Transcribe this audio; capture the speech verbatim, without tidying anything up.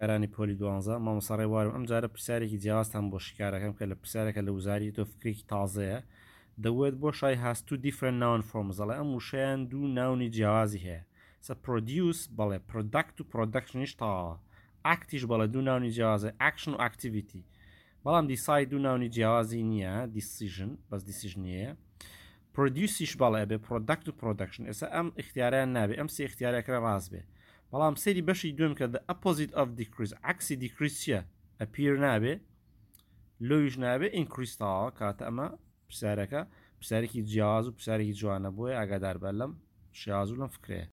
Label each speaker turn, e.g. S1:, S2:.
S1: کارانی پۆلی دوانزە، مامۆستا ڕێبوارم. ئەم جارە پرسیارێکی جیاوازتان بۆ شیکارەکەم کە لە پرسیارەکە لە وزاری تۆ فکرێکی تازەیە. The word بۆشای has two different noun forms. ئەڵێ ئەم وشەیان دوو noun ی جیاوازی هەیە. سە produce بەڵێ، product و production یش تەواوە. Act یش بەڵێ، دوو noun ی جیاوازە، action و activity. بەڵام decide دوو noun ی جیاوازی نییە، decision بەس decision نییە. Produce یش بەڵێ، ئەبێ product و production. ئێستا ئەم اختیاریان نابێ، ئەم سێ اختیارەکە ڕاست بێ. بەڵام سەیری بەشی دوم کە the opposite of decrease، عەکسی decrease چییە؟ Appear نابێ، low یش نابێ، increase تەواوە. کاتە ئەمە پرسیارەکە پرسیارێکی جیاواز و پرسیارێکی جوانە، بۆیە ئاگادار بە لەم شێواز و لەم فکرەیە.